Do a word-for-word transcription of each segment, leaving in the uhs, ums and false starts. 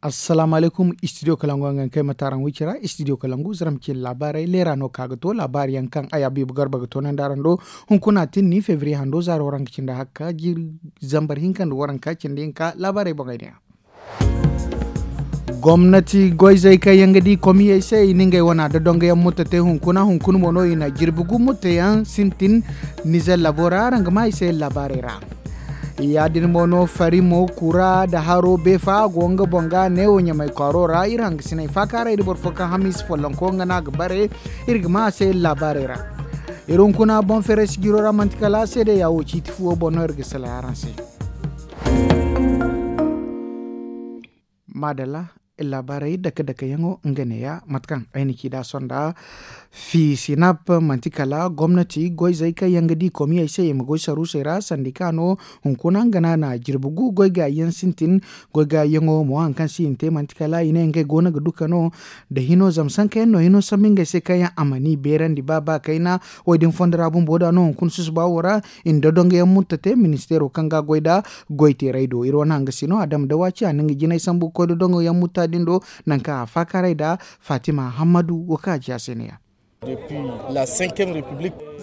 Assalaamu alaykum. Istidiyo kalangu yaŋ ga kay mate araŋ wicira. Istidiyo kalangu zara ma cine laabaarey leera no ka ga to laabaari yaŋ kaŋ ay abiibu garba ga toonandi araŋ do. Hunkuna tinni febriye hando zaaro waranka cindi hakka jiiri zambar hinka nda waranka cindi hinka laabaarey boŋey din. Gomnati goyzey kaŋ yaŋ ga di komiyey se i na ngey wana da dongoyaŋ mutta te hunkuna hunkuna mo no i na jirbi gu mutta yaŋ sintin. Nizer labo ra araŋ ga ma i se laabaarey ra. Ya- din mo no fari mo kura nda haro beefa go nga boŋ ga neewo ɲamay kwaaro ra iri hangasiney faakaaray nda boro fo kaŋ hamiisa follonko nga no a ga bare. Iri ga ma a se laabaarey ra. Iri hunkuna boŋ feeray sijiro ra manti kala seedeya wo ciiti fuwo boŋ no iri ga salaŋ araŋ se. Maadalla. Laabaarey dake dake yaŋo nga neeya mate kaŋ ay na ci nd'a sonda. Fiisinap manti kala gomnati goyzey kaŋ yaŋ ga di komiyey se i ma goy saruusey ra sandika no. Hunkuna nga no a na jirbi gu goy gaayi yaŋ sintin. Goy gaayi yaŋo mo hari kaŋ se i na te manti kala i ne ngey go no ga duka no. Nda hino zama sanka yaŋ no hino sambu ngey se kaŋ yaŋ a mana i beerandi ba ba kayna. Wo- din fondo ra bumbo da no hunkuna susuba wo ra. I na dodongo yaŋ mutta te ministeero kaŋ ga a goy nd'a goy teerey do iri wane hangasino adama dawaci a na nga jinay sambu ga koy dodongo yaŋ mutta din do. Nangu kaŋ a faakaaray nd'a fatima hammadu wo kaŋ a ci a se ne- ya.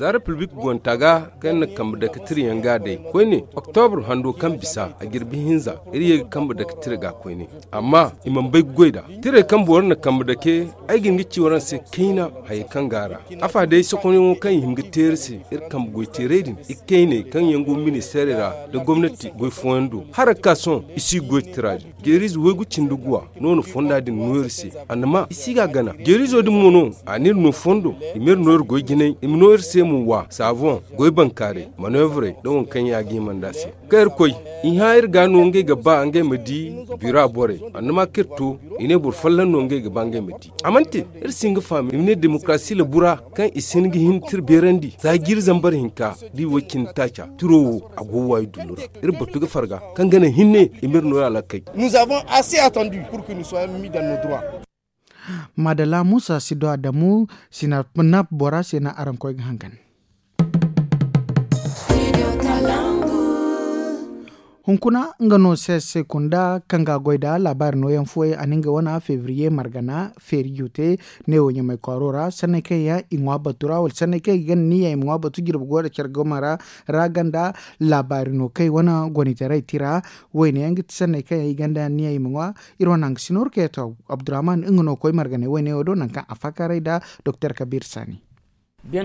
Za repiblik gonta ga kaŋ iri na kambe dake tira yaŋ ga a day koyne oktobur hando kaŋ bisa a jirbi hinza iri ye ga kambe dake tira ga koyne. Amma i mana bay ga goy nd'a tirey kaŋ boro na kambe dake. Ay ga hin ga ci waraŋ se kayna hayey kaŋ go a ra. Afa day sokonyaŋo kaŋ i hin ga te iri se iri kambe goyteerey din ikayney kaŋ yaŋ go ministeerey ra nda gomnati goy fooyaŋ do. Hala ga ka sohõ i si goy tira din jeeriize waygu cindi guwa no na fonda din no iri se. Annama i si ga a gana jeeriizo din mo no a n'iri no fondo i m'iri no iri goy jinay i ma no iri se mo wa saaboŋ goy bankaaray maneevrey nda waŋ kaŋ yaŋ a ga hima nd'a se. Kaŋ iri koy i hã iri ga no ngey ga ba ngey ma di bira borey. Annama kaŋ iri to i ne boro folloŋ no ngey ga ba ngey ma di. A mana te iri si hin ga faham i ma ne demokarasi labu ra kaŋ i si hin ga hin tira beerandi za jiiri zambar hinka da i way cindi taaca tiro wo a go waayi dundu ra. Iri batu ga farga kaŋ ga naŋ hinne i m'iri no iri alakey. Maadalla muusa si do adamu sinap bora se no araŋ koy ga hangan. Hunkuna nga no se se kunda kaŋ ga a goy nd'a laabaari nooyaŋ fooyaŋ a na nga wane febriye margana feeri jute. Neewo ɲamay kwaaro ra sanney kaŋ yaŋ i ŋwa batu ra wala sanney kaŋ i ga niya i ma ŋwa batu jirbi goy nda care gomara ra ganda laabaari no kaŋ i wane gonitaray tira. Wayne yaŋ ga ti sanney kaŋ yaŋ i ganda niya i ma ŋwa. Iri wane hangasino iri kayataw abdurrahman nga no koy marganey wayne wo do nangu kaŋ a faakaaray nda doktor kabiir saani. A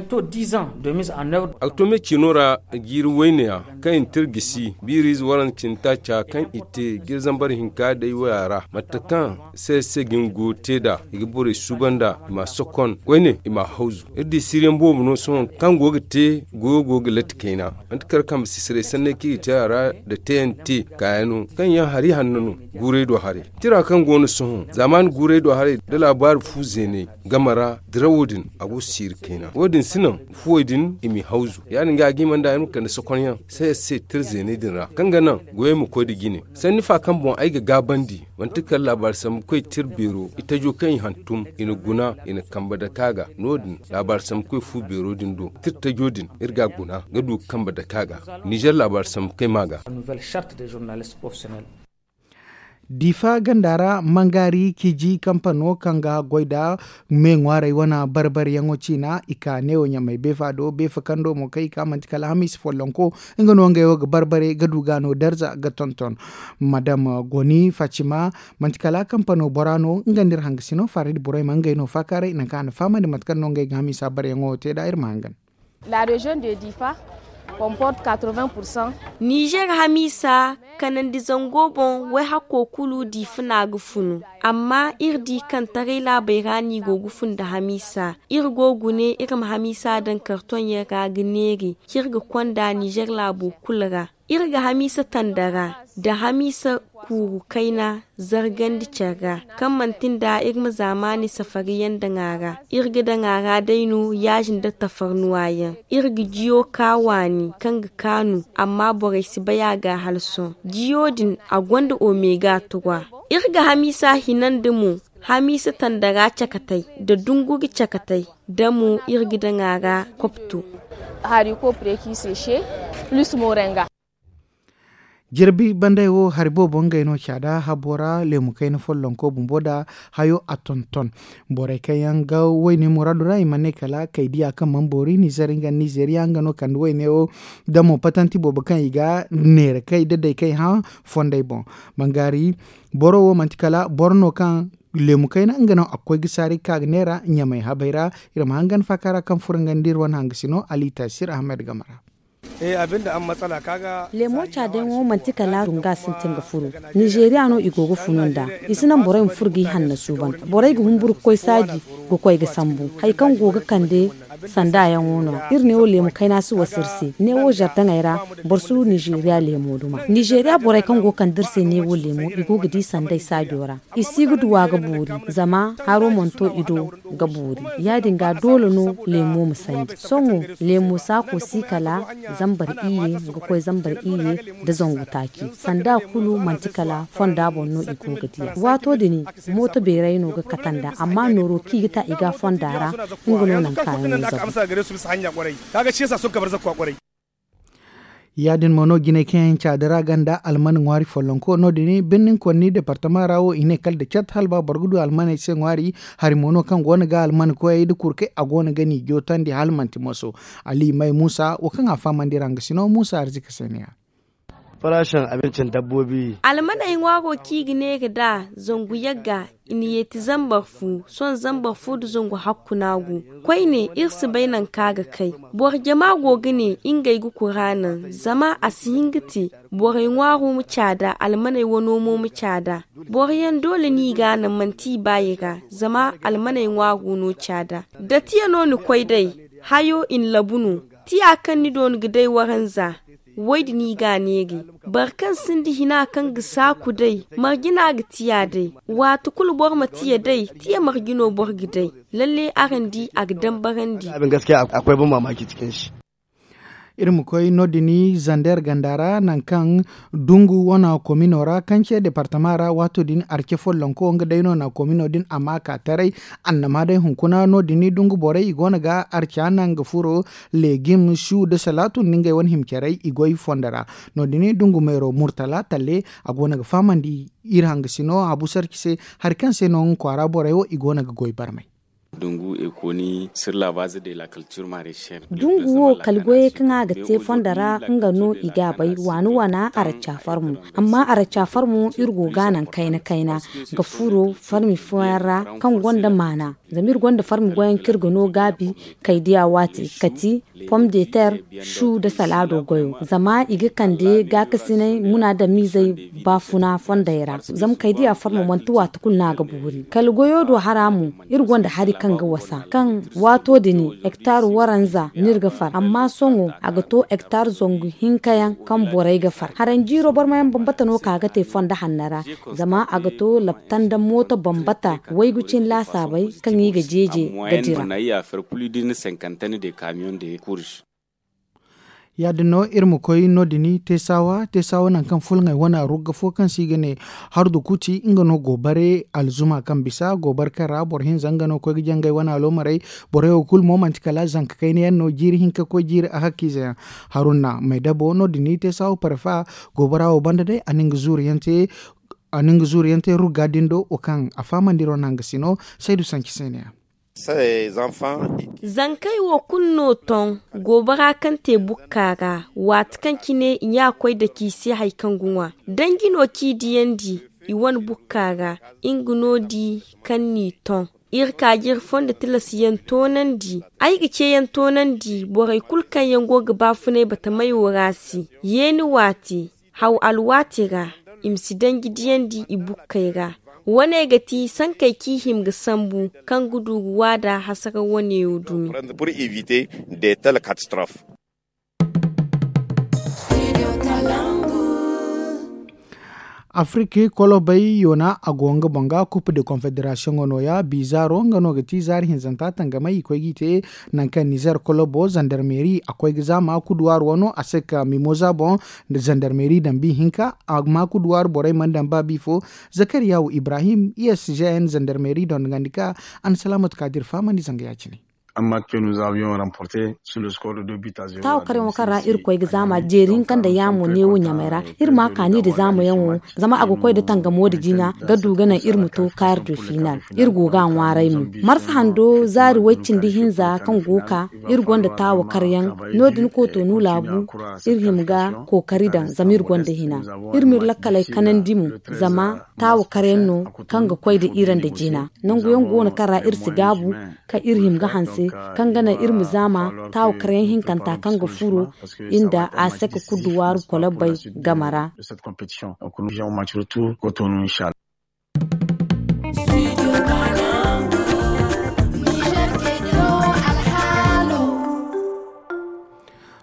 ga to me ciino ra jiiri wayneya kaŋ i na tira gisi biiriize waranka cindi taaca kaŋ i te jiiri zambar hinka day waya ra mate kaŋ se se ga ni go te nd'a i ga borey suuban nd'a i m'a sokon koyne i m'a hawzu. Iri di siriyaŋ boobo no sohõ kaŋ go ga te goyo go ga latti kayna. Manti kala kambe sisiray sanney kaŋ i ga te a ra nda teyante kaayano kaŋ yaŋ hari hanno no. Guuray do haray tira kaŋ go no sohõ zaamaani guuray do haray nda laabaari fu zeeney game ra dirawo din a go siiri kayna wo- din si naŋ fuwey din i m'i hawzu ya- din ga a ga hima nda ay ma kande sokonyaŋ se se tira zeeney din ra kaŋ ga naŋ goyey ma koy nda jine. Sanni fa kaŋ boŋ ay ga gaabandi manti kala laabaari sambukoy tira beero itajo kaŋ i hantum i na guna i na kambe dake a ga no- din laabaari sambukoy fu beero din do tira tajo din iri ga a guna ga du ga kambe dake a ga. Nizer laabaari sambukoy ma ga. Diifa ganda ra mangaari kiji kampano kaŋ ga goy nda me ŋwaaray wane barbaryaŋo ciina i ka neewo ɲamay beefa do beefa kando mo kaŋ i ka manti kala hamiisa follonko. Nga no ngey wo ga barbare ga du ga no darza ga tonton madam goni fatima manti kala kampano bora no nga nda iri hangasino faridi borey ma ngey no faakaaray nangu kaŋ a na fahamandi mate kaŋ no ngey ga hamiisa baryaŋo te nd'a iri ma hangan. Nizer hamiisa kanandi zango boŋ wayhakko kulu diifa no a ga funu. Amma iri di kaŋ taray laabey ra no i go ga fun nda hamiisa iri go ga gune iri ma hamiisa daŋ kartoŋ yaŋ ra ga neeri kaŋ iri ga konda nizer laabo kulu ra. Iri ga hamiisa tandara nda hamiisa kuuru kayna zargandi care ra kaŋ manti nda iri ma zaamaani safariyaŋ daŋ a ra. Iri ga daŋ a ra day no yaaji nda tafarnuwa yaŋ. Iri ga jiyo ka waani kaŋ ga kaanu amma borey si bay a ga hala sohõ jiyo din a gonda omega trois. Iri ga hamiisa hinandi mo hamiisa tandara cakatay nda dunguri cakatay nda mo iri ga daŋ a ra kopto. Hari ko preki se se plus morenga. Jirbi banday wo hari boobo ngey no caada habo ra leemu kayna follonko bumbo nda hayo a tonton. Borey kaŋ yaŋ ga wayne muraadu ra i mana ne kala kay diya kaŋ mana boori nizer nga nizeriya nga no kande wayne wo. Damo patanti boobo kaŋ i ga neera kay da day kay hã fondey boŋ. Bangaari boro wo manti kala boro no kaŋ leemu kayna nga no a ga koy ga saari ga ka ga neera ɲamay habay ra. Iri ma hangan faaka ra kaŋ furo nga nda iri wane hangasino ali taasir ahmed game ra. Leemo caadayaŋo manti kala dunga sintin ga furo. Nizeeriya no i go ga funu nd'a. I si naŋ borey ma furo g'i hanna suuban. Borey ga humburu ga koy saaji ga koy ga sambu hari kaŋ go ga kande sandaayaŋo no. Iri neewo leemu kayna si wasa iri se neewo zardaŋey ra. Boro si du nizeeriya leemo duma nizeeriya borey kaŋ go ga kande iri se neewo leemo i go ga di sanday saajo ra. I si ga duw'a ga boori zama haro mana to i do ga boori. Ya- din ga doole no leemo ma sandi sohõ. Leemo saako si kala zambar iyye ga koy zambar iyye nda zangu taaci. Sanda kulu manti kala fonda boŋ no i go ga diya waato din. Mooto beeray no ga kate nd'a amma nooro kaŋ i ga ta i ga a fonda ra. Nga no naŋ kaayaŋo zabu. Ya- din mo no jinay kaŋ yaŋ caadi ra ganda alman ŋwaari follonko no- din birnin konni departama ra wo i ne kala da cat hala ba boro ga du almaney se ŋwaari. Hari mo no kaŋ go no ga alman koyey nda kurkey a go no ga ni jootandi hala manti moso. Ali may muusa wo kaŋ a fahamandi ra nga sino muusa arzika se ne ya. Almaney ŋwaaro kaŋ i ga ne ga da zangu yagga i na yeeti zambar fu sohõ zambar fu nda zangu hakku no a go. Koyne iri si bay nangu kaŋ a ga kay. Boro jama go ga ne ngey ga kura naŋ zama a si hin ga te. Borey ŋwaaro ma caada almaney wano mo ma caada. Boro yaŋ doole no i ga a naŋ manti i baayi ra. Zama almaney ŋwaaro no caada da tiya no ni koy day. Hayo i na labu no. Tiya kaŋ ni dooni ga day waranza. Way din i ga a neeri. Boro kaŋ sinda hina kaŋ ga saaku day marje no a ga tiya day. Waati kulu boro ma tiya day tiya marje no boro ga day. Lalle araŋ di a ga dambarandi. Iri ma koy no- din zander ganda ra nangu kaŋ dungu wana komino ra kaŋ ce departama ra waato din arce follonko nga day no na komino din a ma ka taray. Annama day hunkuna no- din dungu borey i go no ga arca naŋ ga furo legim su nda salaatu nda ngey wane hima caray i goy fondo ra. No- din dungu meero murtala talle a go no ga fahamandi iri hangasino habu sarci se. Hari kaŋ se no nga kwaara borey wo i go no ga goy barmay. Dungu wo kala goyey kaŋ a ga te fondo ra nga no i ga a bay waana waana aracca farmo. Amma aracca farmo iri go ga a naŋ kayna kayna ga furo farmi fooyaŋ ra kaŋ gonda maana. Zama iri gonda farmi goyaŋ kaŋ iri ga no gaabi kay diya waati kati pom de ter su nda salaado goyo zama i ga kande gaakasinay munaadamiizey baafuna fondey ra. Zama kay diya farmo manti waati kulu no a ga boori kala goyo do hara mo. Iri gonda hari kaŋ ga wasa kaŋ waato din hektar waranza no iri ga far amma sohõ a ga to hektar zangu hinka yaŋ kaŋ borey ga far haranjiiro barmayaŋ bambata no ka ga te fondo hanno ra. Zama a ga to labta nda mooto bambata waygu cine laasaabey kaŋ i ga jeeje ga dira. Ya- din no iri ma koy no- din teesawa teesawa nangu kaŋ fulŋey wane rugga fo kaŋ se i ga ne hardu kuti nga no goobare alzuma kaŋ bisa goobare kaŋ ra boro hinza nga no ga koy ga jangay wane aloomarey. Borey wo kulu mo manti kala zanka kayna yaŋ no jiiri hinka ga koy jiiri ahakkiize yaŋ. Haruna maydabo no- din teesawa parfa goobara wo banda day a na nga zuuriyaŋ te rugga din do wo kaŋ a fahamandi ro no hanga sino saydu sanci se ne ya. Zankey wo kulu no ton goobara kaŋ te bukka ra waati kaŋ cine i ɲa koy dake i se hari kaŋ ga ŋwa danji no kaŋ i diyandi i wane bukka ra. Nga no di kaŋ n'i ton iri ka ga iri fondo tilasyaŋ toonandi ay ga ceeyaŋ toonandi borey kulu kaŋ yaŋ go ga baafunay batamey wo ra se. Yeeni waati haw alwaati ra i ma si danji diyandi i bukkey ra. Wane ga ti sankey kaŋ i hima ga sambu kaŋ ga du ga waada hasara wane wo dumi. Afirki kolobey yoona a go nga boŋ ga kup de konfederasiyoŋo nooya bi zaaro nga no ga ti zaari hinzanta tangamay i koy g'i te. Nangu kaŋ nizer kolobo zandarmeri a koy ga za maakuduwaari wano a se ka mimoza boŋ. Zandarmeri daŋ bi hinka a maakuduwaari borey mana daŋ ba bi fo. Zakariyawu ibrahim i s g n zandarmeri dondogandi ka a na salaamatu ka dira fahamandi zanga ya- cine. Amma ke nous avions remporté sur le score de deux buts à zéro. Taawo karyaŋo kaŋ ra irkoy ga zaama jeeri hinka nda yaamo neewo ɲamay ra. Iri ma kaani nda zaamayaŋo, zama a ga koy nda tangamo nda jina ga du ga naŋ iri ma to kaari du final. Iri go ga a ŋwaaray mo. Marsa hando zaari way cindi hinza kaŋ go ga ka, iri gonda taawo karyaŋ. No- din kootonu laabu, iri hima ga kookari daŋ zama iri gonda hina. Iri ma iri lakkaley kanandi mo, zama taawo karyaŋ no kaŋ ga koy nda iri nda jina. Nangu yaŋ go no kaŋ ra iri si gaabu, kaŋ iri hima ga hanse, kaŋ ga naŋ iri ma zaama taawo karyaŋ hinkanta kaŋ ga furo nda a sek kuddu waaru kolobbey game ra.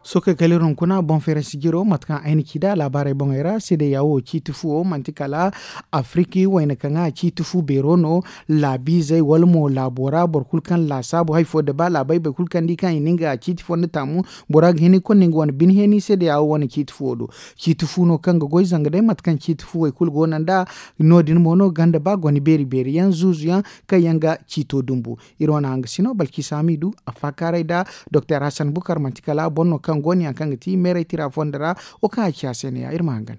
Sookey kala iri hunkuna boŋ feerey sijiro mate kaŋ ay na ci nd'a laabaarey boŋey ra seede yaawo ciiti fu wo manti kala afiriki wayna kaŋ a ciiti fu beero no. Laabiizey wala mo laabo ra boro kulu kaŋ laasaabu hari fo da ba laabey boro kulu kaŋ di kaŋ i na nga ciiti fo nda taamu bora ga hin i kulu no nga wane bine heeni seede yaawo wane ciiti fu wo do. Ciiti fu no kaŋ ga goy zanga day mate kaŋ ciiti fu wo i kulu go no nd'a. No- din mo no ganda ba gone beeri beeri yaŋ zuuzu yaŋ kaŋ yaŋ ga ciito dumbu. Iri wane hangasino balki saamidu a faakaaray nda doktor hasan bukar manti kala boro no kaŋ go no yaŋ kaŋ ga ti meeray tira fondo ra. Wo kaŋ a ci a se no- ya iri ma hangan.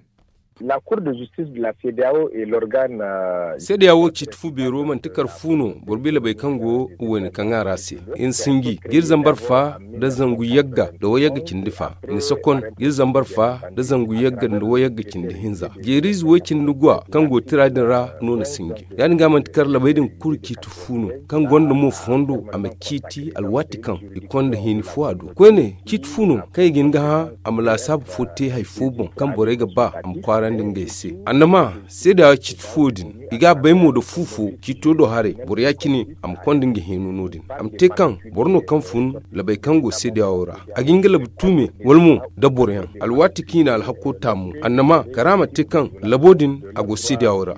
Seede yaawo ciiti fu beero manti kar fu no boro bilabey kaŋ go wayna kaŋ a ra se. Iri sinji ga iri zambar fa nda zangu yagga nda wayagga cindi fa. Ni sokon ga iri zambar fa nda zangu yagga nda wayagga cindi hinza jeeriize way cindi gwa kaŋ go tira din ra no na sinji. Ya- din ga manti kar labey din kulu ciiti fu no kaŋ gonda mo fondo a ma ciiti alwaati kaŋ i konda hini fo a do koyne ciiti fu no kaŋ i ga hin ga hã a ma laasaabu fo te hari fo boŋ kaŋ borey ga ba a ma kwaarandi ngey se. Annama seeda ciiti fuwo din i ga a bay mo nda fu fo ciito do haray boro ya- cine a ma konda nga heeno no- din a ma te kaŋ boro no kaŋ fun labey kaŋ go seeda wo ra a ga hin ga labu tuume wala mo nda boro yaŋ alwaati kaŋ i na alhako taamu annama kara ma te kaŋ labo din a go seeda wo ra.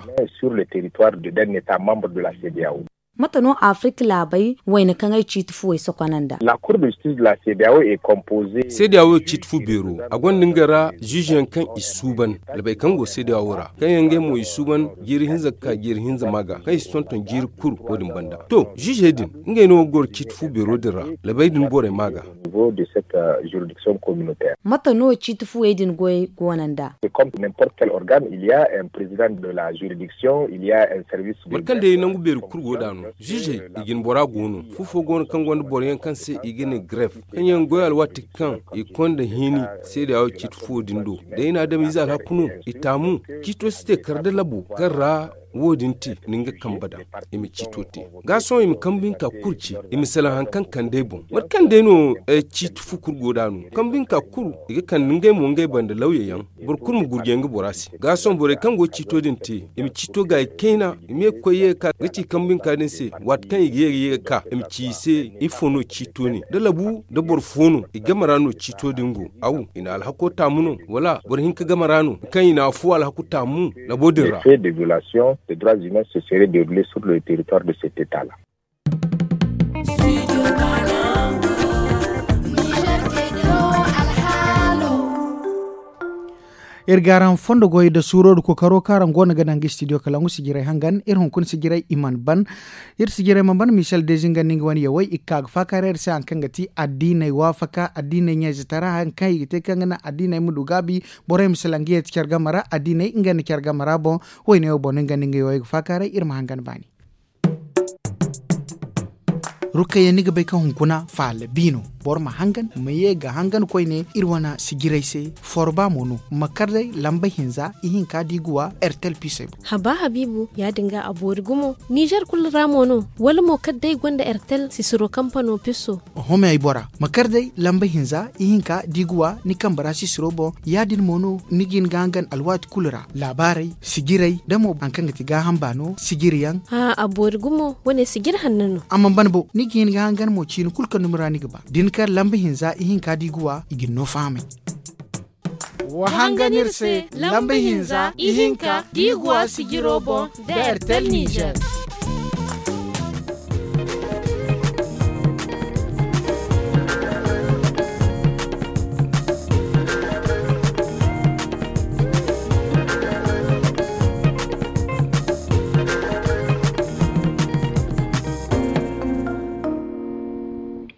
Mate no afirika laabey wayna kaŋ ay ciiti fuwey sokonanda? Seediya wo ciiti fu beero a gonda nga ra ziize yaŋ kaŋ i suuban labey kaŋ go seediya wo ra kaŋ yaŋ ngey mo i suuban jiiri hinza ga ka jiiri hinza ma ga kaŋ i si tonton jiiri kulu wo- din banda to ziizey din ngey no ga goro ciiti fu beero din ra. Labey din borey ma ga. Mate no ciiti fuwey din goyey go no nd'a? Boro kaŋ day nangu beeri kulu go nd'a no ziizey i jine bora go no fu fo go no kaŋ gonda boro yaŋ kaŋ se i ga ne gref kaŋ yaŋ goy alwaati kaŋ i konda hini seeda wo ciiti fuwo din do. Day na adamize alhaku no i taamu ciito si te kar da labo kaŋ ra wo- din te ni nga kambe daŋ i ma ciito te. Ga sohõ i ma kambe hinka kulu ci i ma salaŋ hari kaŋ kande ay boŋ mate kaŋ day no ciiti fu kulu go nd'a no kambe hinka kulu i ga kande ngey mo ngey banda lawya yaŋ boro kulu ma gurjay nga bora se. Ga sohõ borey kaŋ go ga ciito din te i ma ciito gaayi kayna i ma ye ga koy ye ga ka ga ci kambe hinka din se waati kaŋ i ga ye ga ye ga ka i ma ci i se ifo no ciito ne da labu da boro fo no i game ra no ciito din go? Aw i na alhako taamu no wala boro hinka game ra no kaŋ i na afo alhaku taamu labo din ra? Des violations des droits humains se seraient derulés sur le territoire de cet état la. Iri ga araŋ fondo goy nda suuro nda kookaro kaŋ araŋ go no ga naŋ ga studio kalangu sijiray hangan iri hunkuna sijiray i mana ban. Iri sijiray mana ban michel dezi nga nda nga wane yawey i ga ka ga faakaaray iri se hari kaŋ ga ti addiiney waafaka addiiney ɲayze tara hari kaŋ i ga te kaŋ ga naŋ addiiney ma du gaabi borey ma salaŋ ga yeeti care game ra addiiney ngey nda care game ra boŋ. Wayne wo boŋ no nga nda nga yawey ga faakaaray iri ma hangan baani. Rukayya ni ga bay kaŋ hunkuna faala bi no. Boro ma hangan ma ye ga hangan koyne iri wane sijiray se. Forba mo no ma kar day lamba hinza ihinka da i ga wa ertel pisey boŋ. Haba habiibu ya- din ga a boori gumo nizer kulu ra mo no wala mo kala day gonda ertel sisiro kampano piso. Homey bora ma kar day lamba hinza ihinka da i ga wa ni kambe ra sisiro boŋ. Ya- din mo no ni ga hin ga hangan alwaati kulu ra laabaarey sijiray da mo hari kaŋ ga ti gaaham baano sijiri yaŋ. A boori gumo wane sijiri hanno no. A mana ban bo ni ga hin ga hangan mo ciini kulu kaŋ dumi ra ni ga ba da ni kar lamba hinza ihinka da i ga wa i ga ni no fahamay. Wa hangan iri se lamba hinza ihinka da i ga wa sijiro boŋ da ertel nizer.